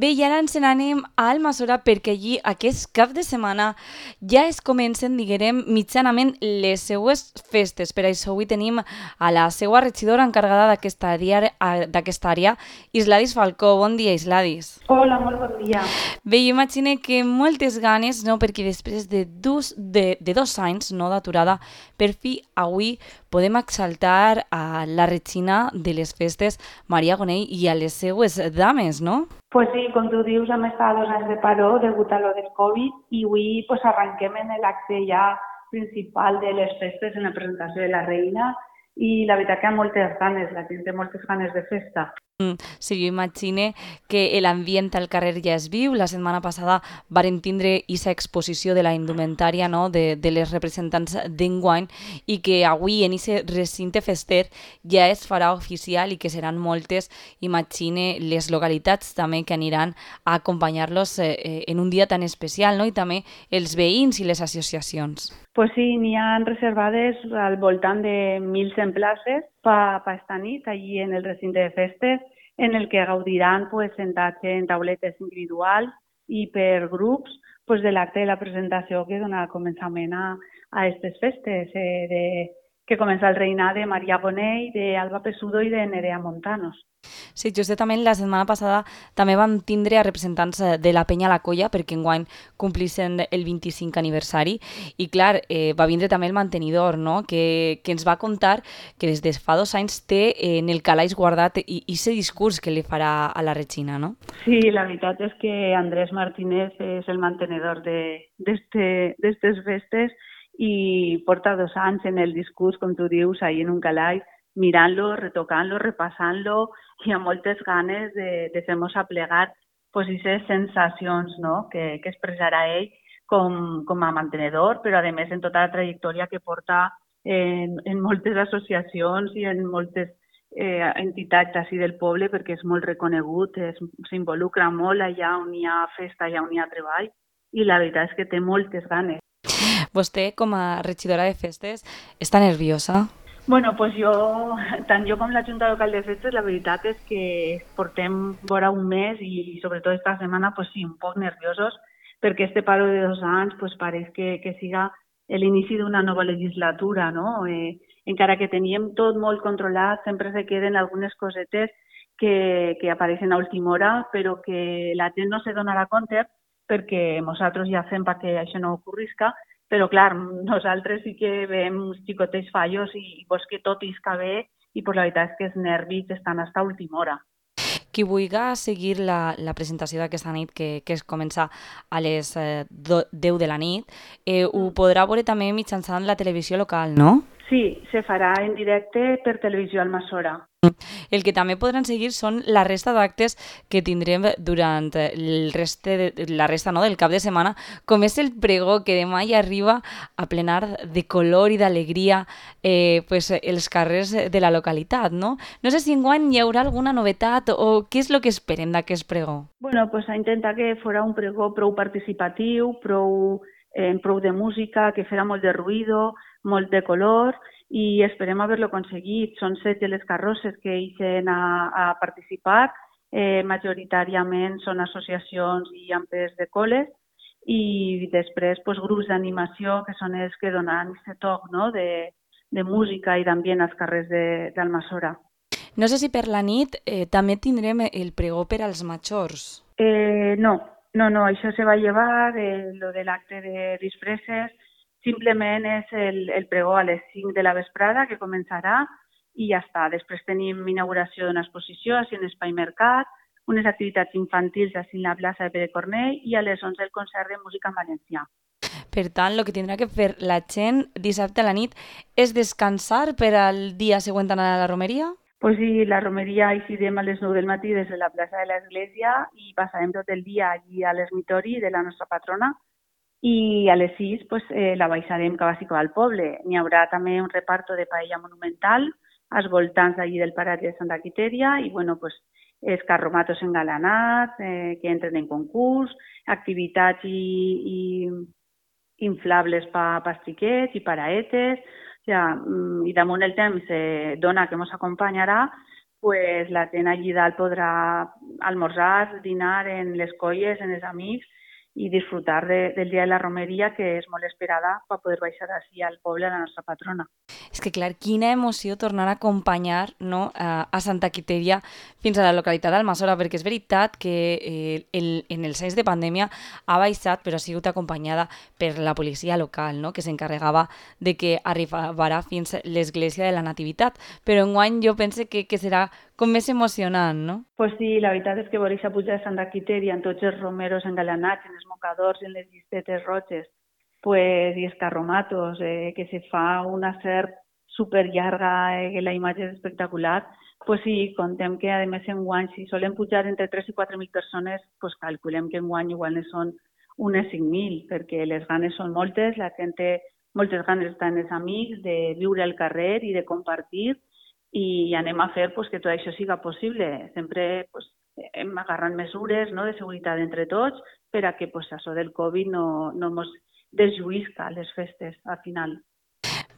Bé, i ara ens n'anem a Almassora perquè allí aquest cap de setmana ja es comencen, diguem, mitjanament les seues festes. Per això avui tenim a la seua regidora encarregada d'aquesta àrea, Isladis Falcó. Bon dia, Isladis. Hola, molt bon dia. Bé, jo imagino que moltes ganes, no? Perquè després de 2 anys no, d'aturada, per fi avui podem exaltar a la regina de les festes, Maria Gonell, i a les seues dames, no? Pues sí, com tu dius, hem estat 2 anys de paró degut a lo del Covid i avui pues, arrenquem en l'acte ja principal de les festes, en la presentació de la reina, i la veritat que hi ha moltes ganes, la gent té moltes ganes de festa. Sí, jo imagine que l'ambient al carrer ja es viu. La setmana passada varen tindre aquesta exposició de la indumentària, no? de les representants d'enguany, i que avui en aquest recinte fester ja es farà oficial i que seran moltes, imagine, les localitats també que aniran a acompanyar-los en un dia tan especial, no? I també els veïns i les associacions. Pues sí, n'hi ha reservades al voltant de 1.100 places per esta nit, allí en el recinte de festes, en el que gaudiran pues, sentats en tauletes individuals i per grups pues, de l'acte de la presentació que dona començament a aquestes festes, que comença el reinat de Maria Gonell, d'Alba Pesudo i de Nerea Montanos. Sí, justament la setmana passada també vam tindre a representants de la Penya La Colla perquè enguany complissin el 25 aniversari i clar, va vindre també el mantenidor, no? que ens va contar que des de fa 2 anys té en el calaix guardat i aquest discurs que li farà a la regina, no? Sí, la veritat és que Andrés Martínez és el mantenedor d'estes festes i porta 2 anys en el discurs, com tu dius, ahí en un calaix, mirant-lo, retocant-lo, repassant-lo i amb moltes ganes de fer-nos aplegar pues, aquestes sensacions no? que expressarà ell com a mantenedor, però a més en tota la trajectòria que porta en moltes associacions i en moltes entitats així del poble, perquè és molt reconegut, s'involucra molt allà on hi ha festa, allà on hi ha treball, i la veritat és que té moltes ganes. Vostè, com a regidora de festes, està nerviosa? Bueno, pues tant jo com la Junta Local de Festes, la veritat és que portem vora un mes i sobretot esta setmana, pues sí, un poc nerviosos, perquè este paro de 2 anys pues pareix que siga l'inici d'una nova legislatura, no? Encara que teníem tot molt controlat, sempre se queden algunes cosetes que apareixen a última hora, però que la gent no se donarà compte perquè nosaltres ja fem perquè això no ocorrisca, però clar, nosaltres sí que veiem uns xicotets fallos i vols que tot isca bé i pues, la veritat és que els nervis estan fins a última hora. Qui vulgui seguir la presentació d'aquesta nit, que es comença a les 10 de la nit, ho podrà veure també mitjançant la televisió local, no? Sí, se farà en directe per Televisió Almassora. El que també podran seguir són la resta d'actes que tindrem durant la resta no, del cap de setmana, com és el pregó que demà ja arriba a plenar de color i d'alegria pues, els carrers de la localitat, no? No sé si enguany hi haurà alguna novetat o què és el que esperem d'aquest pregó? Bueno, pues a intentar que fora un pregó prou participatiu, prou de música, que fera molt de ruïdo, molt de color, i esperem haver-lo aconseguit. Són 7 les carrosses que ixen a participar, majoritàriament són associacions i ampes de col·les, i després pues, grups d'animació que són els que donen aquest toc no? de música i d'ambient als carrers d'Almassora. No sé si per la nit també tindrem el pregó per als majors. No, això se va llevar, lo de l'acte de disfresses, simplement és el pregó a les 5 de la vesprada que començarà i ja està. Després tenim inauguració d'una exposició així en Espai Mercat, unes activitats infantils així en la plaça de Pere Cornell i a les 11 el concert de música en valencià. Per tant, el que tindrà que fer la gent dissabte a la nit és descansar per al dia següent anar a la romeria? Pues sí, la romeria eixirem a les 9 del matí des de la plaça de l'Església i passarem tot el dia allí a l'ermitori de la nostra patrona i a les 6 pues, la baixarem cap al poble. N'hi haurà també un reparto de paella monumental als voltants allí del paratge de Santa Quitèria i bueno, pues, els carromatos engalanats que entren en concurs, activitats i inflables per xiquets i paraetes, i damunt el temps dona que ens acompanyarà, pues la gent allí dalt podrà almorzar, dinar en les colles, en els amics i disfrutar del dia de la romeria, que és molt esperada per poder baixar així al poble la nostra patrona. És que, clar, quina emoció tornar a acompanyar, no, a Santa Quitèria fins a la localitat d'Almassora, perquè és veritat que en els anys de pandèmia ha baixat, però ha sigut acompanyada per la policia local, no, que s'encarregava de que arribarà fins l'església de la Nativitat. Però enguany jo penso que serà com més emocionant, no? Pues sí, la veritat és que veure-se a pujar a Santa Quitèria amb tots els romeros engalanats, en els mocadors i en les llistetes roges, pues, i els carromatos, que se fa una serp superllarga, que la imatge és espectacular, pues sí, contem que a més enguany, si solen pujar entre 3 i 4.000 persones, pues calculem que enguany igual ne són unes 5.000, perquè les ganes són moltes, la gent té moltes ganes d'estar amb els amics, de viure al carrer i de compartir, i anem a fer pues, que tot això siga possible. Sempre pues, hem agarrat mesures, no, de seguretat entre tots per a que pues, això del Covid no ens desjuïsca les festes al final.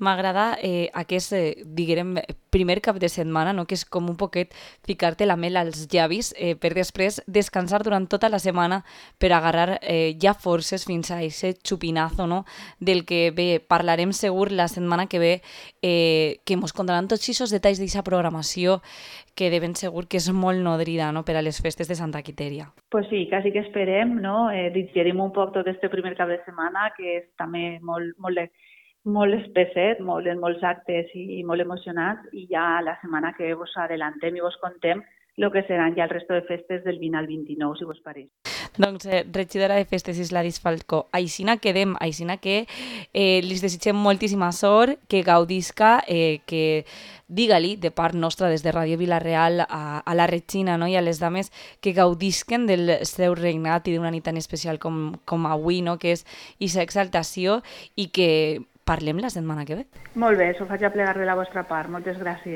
M'agrada aquest, diguem, primer cap de setmana, no? Que és com un poquet ficar-te la mel als llavis per després descansar durant tota la setmana per agarrar ja forces fins a aquest xupinazo, no? Del que bé, parlarem segur la setmana que ve, que ens contaran tots aquests detalls d'aquesta programació que de ben segur que és molt nodrida, no? Per a les festes de Santa Quitèria. Pues sí, quasi que esperem, no? Digerim un poc tot este primer cap de setmana, que és també molt espesset, molts actes i molt emocionats, i ja la setmana que vos adellantem i vos contem el que seran ja el resto de festes del 20 al 29, si vos pareix. Doncs, regidora de festes Isladis Falcó, aixina quedem, aixina que li desitgem moltíssima sort, que gaudisca, que digue-li de part nostra des de Ràdio Vila-real a la Regina, no? I a les dames que gaudisquen del seu regnat i d'una nit tan especial com avui, no? Que és aquesta exaltació, i que parlem la setmana que ve. Molt bé, s'ho faig a plegar de la vostra part. Moltes gràcies.